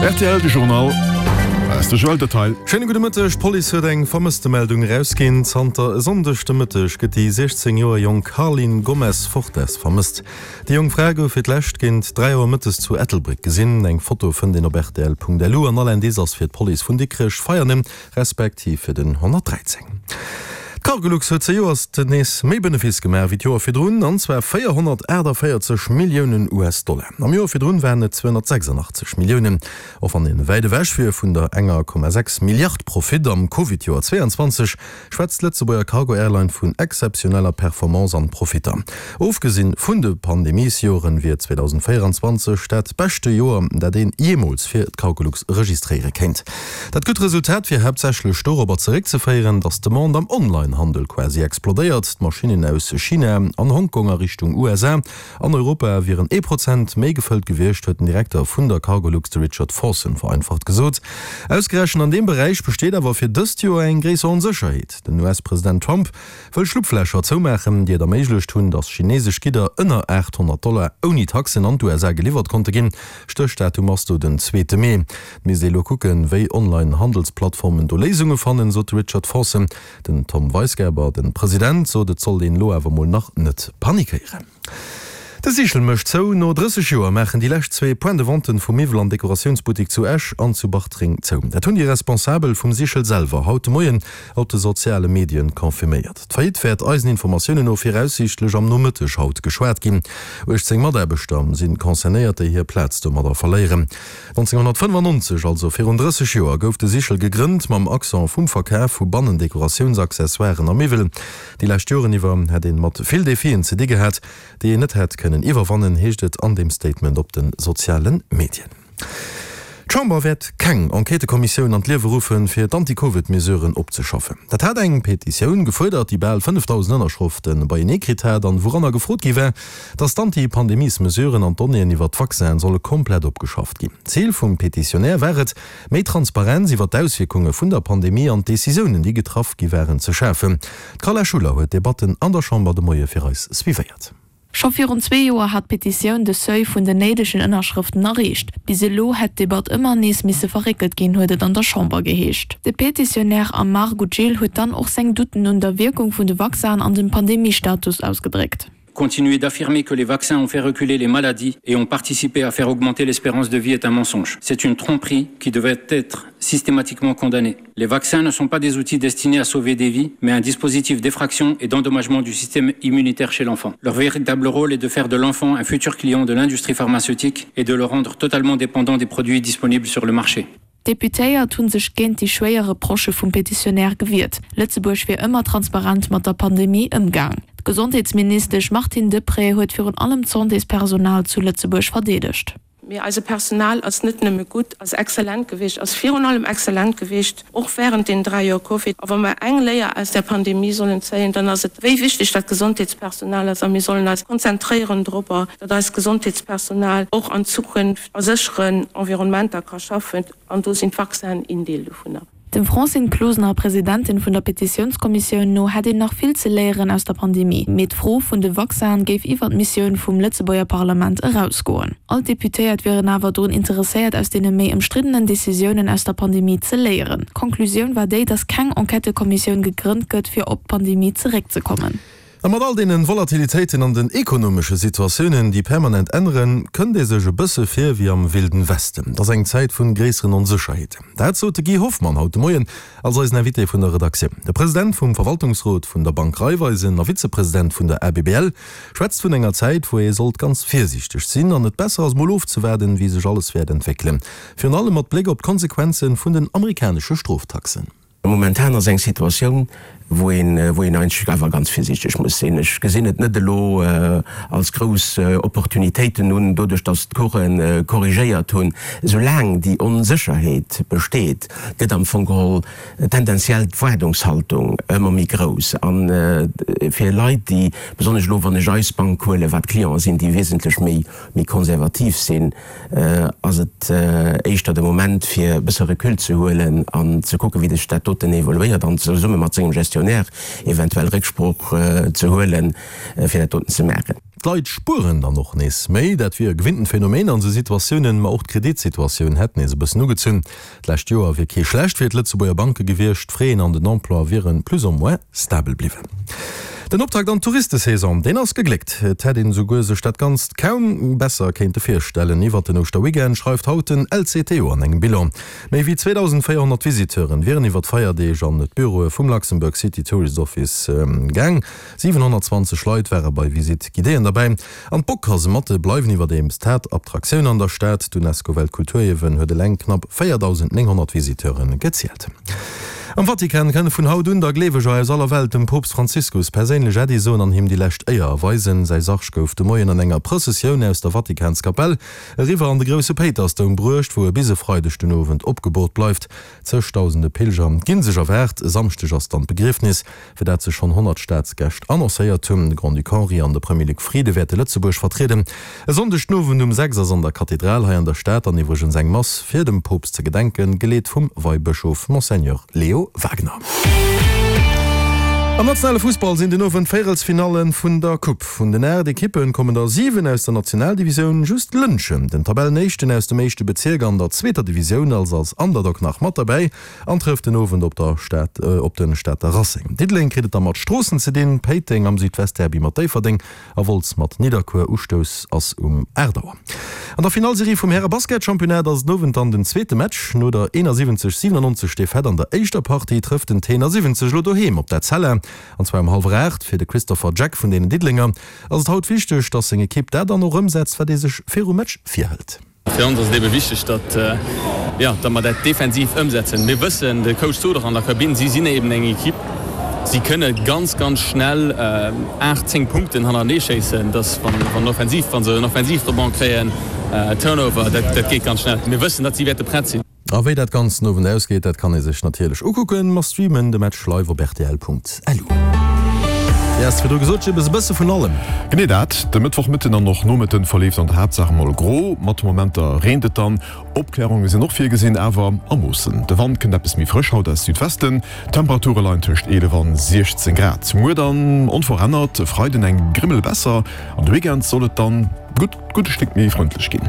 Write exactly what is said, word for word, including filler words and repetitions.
Rtl, De Journal. Hei ass de Joël Detail. Schéine gudde Mëtteg. D'Police huet eng Vermësstemeldung erausginn. Zanter e Sonndeg de Mëtteg gëtt déi siechzéng Joer jonk Carline Gomes Fortes vermësst. Déi jonk Fra gouf fir d'lescht géint dräi Auer mëttes zu Ettelbréck gesinn. Eng Foto fënnt een op rtl Punkt L U an all Indice ass fir d'Police vun Dikrech, Veianen respektiv fir den honnertdräizéng. D'Cargolux huet zejoerst nees méi Benefice gemaach wéi d'Joer virdrun, an zwar véierhonnertaachtavéierzeg Milliounen U S-Dollar. Am Joer virdrun waren et zweehonnertsechsandachtzeg Milliounen. Och wann ee wäit ewech wier vun der enger Komma sechs Milliard Profit am Covid-Joer zweeanzwanzeg, schwätzt d'Lëtzebuerger Cargo-Airline vun exzeptioneller Performance an Profitter. Ofgesinn vun de Pandemiesjoren wier zweedausendvéieranzwanzeg dat beschte Joer, dat een jeemools fir d'Cargolux registréiere kéint. Dat gutt Resultat wier haaptsächlech dorobber zeréckzeféieren, datt d'Demande am Online-Handel quasi explodéiert. D'Maschinnen aus China an Hongkong a Richtung U S A an Europa wieren ee Prozent méi gefëllt gewiescht, huet den Direkter vun der Cargolux, de Richard Forson, vereinfacht gesot. Ausgerechent an deem Beräich besteet awer fir dëst Joer eng gréisser Onsécherheet. Den U S-President Trump wëll Schlupflächer zoumaachen, déi et erméiglecht hunn, datt chineesesch Gidder ënner aathonnert Dollar ouni Taxen an d'U S A geliwwert konnte ginn. Stéchdatum ass do den zweete Mee. Et misst ee elo kucken, wéi Online-Handelsplattformen do Léisunge fannen, sot de Richard Forson. Den Tom Weisgerber, de President, sot, et sollt een elo awer mol nach net panikéieren. De Sichel mécht zou. No drësseg Joer maachen déi lescht zwee Point de vente vum Miwwel an Dekoratiounsbuttek zu Esch an zu Bartreng zou. Dat hunn déi Responsabel vum Sichel selwer haut de Moien op de soziale Medien confirméiert. D'Faillite wäert eisen Informatiounen no viraussiichtlech am Nomëtteg haut geschwat ginn. uechtzéng Mataarbechter si concernéiert, déi hir Plaz domadder verléieren. nonzénghonnertfënnefannonzeg, also virun drësseg Joer, gouf de Sichel gegrënnt mam Accent vum Verkaf vu Bannendekoratiounsaccessoiren a Miwwel. Déi lescht Joren iwwer hätt een mat vill Defien ze di gehat, déi een net hätt kënnen iwwerwannen, heescht et an dem Statement op de soziale Medien. D'Chamber wäert keng Enquêtëkommissioun an d'Liewe ruffen, fir d'Anti-Covid-Mesuren opzeschaffen. Dat hat eng Petitioun gefuerdert, déi bal fënnefdausend Ënnerschrëfte beienee kritt hat an wouranner gefrot gi war, datt d'Anti-Pandemiesmesuren an d'Donnéeën iwwer d'Vaccinen solle komplett opgeschafft ginn. Zil vum Petitionär war et, méi Transparenz iwwer d'Auswierkunge vun der Pandemie an d'Decisiounen, déi getraff gi waren, ze schafen. D'Carla Schuller huet d'Debatten an der Chamber de Moie fir eis suivéiert. Scho virun zwee Joer hat d'Petitioun de Seuil vun den néidegen Ënnerschrëften erreecht. Bis elo hätt d'Debatt ëmmer nees misse verréckelt ginn, huet et an der Chamber geheescht. De Petitionär Amar Goudjil huet dann och seng Doutten un der Wierkung vun de Vaccinen an dem Pandemiestatus ausgedréckt. Continuer d'affirmer que les vaccins ont fait reculer les maladies et ont participé à faire augmenter l'espérance de vie est un mensonge. C'est une tromperie qui devrait être systématiquement condamnée. Les vaccins ne sont pas des outils destinés à sauver des vies, mais un dispositif d'effraction et d'endommagement du système immunitaire chez l'enfant. Leur véritable rôle est de faire de l'enfant un futur client de l'industrie pharmaceutique et de le rendre totalement dépendant des produits disponibles sur le marché. D'Deputéiert hunn sech géint déi schwéier Reprochë vum Petitionär gewiert. Lëtzebuerg wier ëmmer transparent mat der Pandemie ëmgaang. D'Gesondheetsministesch Martine Deprez huet virun allem d'Santéspersonal zu Lëtzebuerg verdeedegt. Mee eise Personal ass net nëmme gutt, ass exzellent gewiescht, ass virun allem exzellent gewiescht, och wärend den dräi Joer Covid. A wa mer eng Léier aus der Pandemie sollen zéien, dann ass et, wéi wichteg dat Gesondheetspersonal ass. A mir sollen eis konzentréieren dorobber, datt eist Gesondheetspersonal och an Zukunft a sécheren Environnementer ka schaffen. An do sinn d'Vaccinen een Deel dovunner. Dem Francine Closener, Presidentin vun der Petitiounskommissioun, no hätt een nach vill ze léieren aus der Pandemie. Mee d'Fro vun de Vaccinen géif iwwer d'Missioun vum Lëtzebuerger Parlament erausgoen. All d'Deputéiert wieren awer drun interesséiert, aus deene méi ëmstriddenen Decisiounen aus der Pandemie ze léieren. D'Konklusioun war déi, datt keng Enquêtëkommissioun gegrënnt gëtt, fir op d'Pandemie zeréckzekommen. A mat all deene Volatilitéiten an den ekonomesche Situatiounen, déi permanent änneren, kënnt ee sech e bësse vir wéi am Wilden Westen. Dat ass eng Zäit vun gréisseren Onsécherheeten. Dat sot de Guy Hoffmann haut de Moien als eisen Invité vun der Redaktioun. De President vum Verwaltungsrot vun der Bank Raiffeisen a Vizepresident vun der A B B L schwätzt vun enger Zäit, wou ee sollt ganz virsiichteg sinn an et besser ass mol ofzewaarden, wéi sech alles wäert entwéckelen. Virun allem mat Bléck op d'Konsequenze vun den amerikanesche Stroftaxen. Momentan ass eng Situatioun, wou een, wou een eigentlech awer ganz virsiichteg muss sinn. Ech gesinn et net elo als grouss Opportunitéiten un, doduerch datt d'Coursen korrigéiert hunn. Soulaang déi Onsécherheet besteet, gëtt am Fong geholl tendenziell d'Waardungshaltung ëmmer méi grouss. A fir Leit, déi, besonnesch elo wann ech eis Bank huelen, wat Clienten sinn, déi wesentlech méi, méi konservativ sinn, ass et éischter de Moment fir e bësse Recul ze huelen an ze kucken, wéi sech dat doten evoluéiert an zesumme mat sengem Gestionnaire Gestionnaire eventuell Récksprooch ze huelen, fir dat doten ze maachen. D'Leit spueren dann och nees méi. Dat wier e gewinntent Phänomen an esou Situatiounen, ma och d'Kreditsituatioun hätt nees e bëssen ugezunn. D'lescht Joer wier kee schlecht fir d'Lëtzebuerger Banke gewiescht, d'Fraisen an den Emploi wiere plus ou moins stabel bliwwen. Den Optakt an d'Touristesaison, deen ass gegléckt. Et hätt een esouguer sech dat Ganzt kaum besser kéinte virstellen. Iwwert den Ouschterweekend schreift haut den L C T O an engem Bilan. Méi wéi zweedausendvéierhonnert Visiteuren wieren iwwer d'Feierdeeg an d'Büroe vum Luxembourg City Tourist Office gaang. siwenhonnertzwanzeg Leit ware bei Visite guidéeën derbäi. An d'Bock-Kasematte bleiwen iwwerdeems d'Haaptattraktioun an der Stad. D'Unesco-Weltkulturierwen huet eleng knapp véierdausendnénghonnert Visiteure gezielt. Am Vatikan kënne vun haut un da Gleeweger aus aller Welt dem Poopst Franziskus perséinlech Äddi soen an him déi lescht Éier erweisen. Säi Sarg gouf de Moien an enger Prëssessioun aus der Vatikanskapell eriwwer an de grousse Péitersdoum bruecht, wou e bis e Freideg den Owend opgeboort bleift. Zëgdausende Pilger gi sech erwaart. E Samschdeg ass dann d'Begriefnis, fir dat sech schonn honnert Staatsgäscht annoncéiert hunn. De Grand-Duc Henri an de Premier Luc Frieden wäerte Lëtzebuerg vertrieden. E Sonndeg den Owend um sechs ass an der Kathedral hei an der Stad dann iwwregens eng Mass fir dem Poopst ze gedenken, geleet vum Weibëschof Monseigneur Leo Wagener. Am nationale Fussball sinn den Owend d'Véierelsfinalle vun der Coupe. Vun den aacht Ekippe kommen der siwen aus der Nationaldivisioun, just Lëntgen, den Tabellenéischten aus dem éischte Bezierk an der zweeter Divisioun, ass als Underdog nach mat derbäi an trëfft den Owend op der Stad op de Stater Racing. Diddeleng kritt et da mat Stroossen ze dinn, Péiteng am Südwestderby mat Déifferdeng a Wolz mat Nidderkuer. Ustouss ass um aacht Auer. An der Finallserie vum Häre-Basketchampionnat ass den Owend dann den zweete Match. No der eenasiwwenzeg siwenannonzeg Defaite an der éischter Partie trëfft den Tenor siwwenzeg elo doheem op d'Etzella, an zwar um hallwer aacht. Fir de Christopher Jack vun deenen Diddelenger ass et haut wichteg, dass seng Ekipp dat dann och ëmsetzt, wat ee sech virum Match virhëlt. Fir ons ass et ebe wichteg, datt, jo, datt mer dat defensiv ëmsetzen. Mir wëssen, de Coach sot och an der Kabinn, si sinn eben eng Ekipp, si kënne ganz, ganz schnell aacht, zéng Punkten hannertenee schéissen, datt wann, wann offensiv, wa se en Offensivrebond kréien, Turnover, dat, dat geet ganz schnell. Mir wëssen, datt si wäerte prett sinn. A wéi dat Ganzt den Owend ausgeet, dat kann ee sech natierlech ukucken. Mer streamen de Match live op rtl Punkt L U. Yes, virdru gesot, Jibbes, e bësse vun allem. Genee dat. De Mëttwochmëtten an och Nomëtten verleeft an der Haaptsaach mol gro, mat Momenter reent et dann. Opklärunge sinn och virgesinn, awer a Moossen. De Wand kënnt eppes méi frësch haut aus Südwesten. D'Temperature leien tëscht eelef an siechzéng Grad. Muer dann onverännert, e Freiden eng Grimmel besser an de Weekend soll et dann gutt gudde Stéck méi frëndlech ginn.